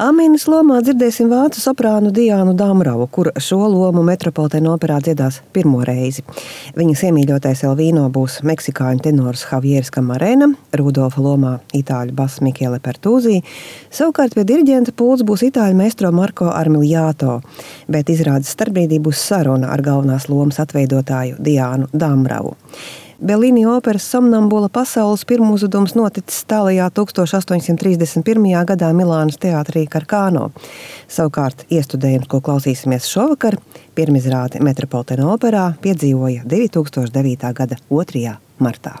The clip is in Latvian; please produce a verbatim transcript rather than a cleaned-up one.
Amīnas lomā dzirdēsim vācu soprānu Diānu Damravu, kur šo lomu Metropolitena operā dziedās pirmo reizi. Viņas iemīļotais Elvīno būs meksikāņu tenors Javieris Camarena, Rudolfa lomā itāļu bass Michele Pertuzzi, savukārt pie diriģenta pults būs itāļu maestro Marco Armiliato, bet izrādes starpbrīdī būs saruna ar galvenās lomas atveidotāju Diānu Damravu. Bellini operas Somnambula pasaules pirmuzvedums noticis tālajā tūkstoš astoņsimt trīsdesmit pirmajā gadā Milānas teātrī Karkāno. Savukārt iestudējums, ko klausīsimies šovakar, pirmizrādi Metropolitena operā piedzīvoja divi tūkstoši devītā gada otrajā martā.